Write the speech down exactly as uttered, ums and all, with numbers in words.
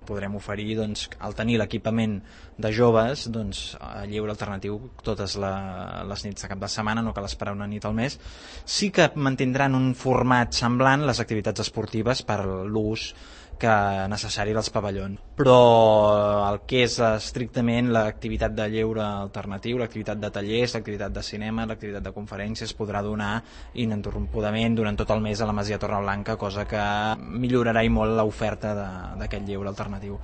Podrem oferir, doncs, al tenir l'equipament de joves, doncs, lleure alternatiu totes la, les nits de cap de setmana, no cal esperar una nit al mes. Sí que mantindran un format semblant les activitats esportives per l'ús que necessari dels pavellons, però el que és estrictament l'activitat de lleure alternatiu, l'activitat de tallers, l'activitat de cinema, l'activitat de conferències podrà donar ininterrompudament durant tot el mes a la Masia Torreblanca, cosa que millorarà i molt l'oferta d'aquest lleure alternatiu.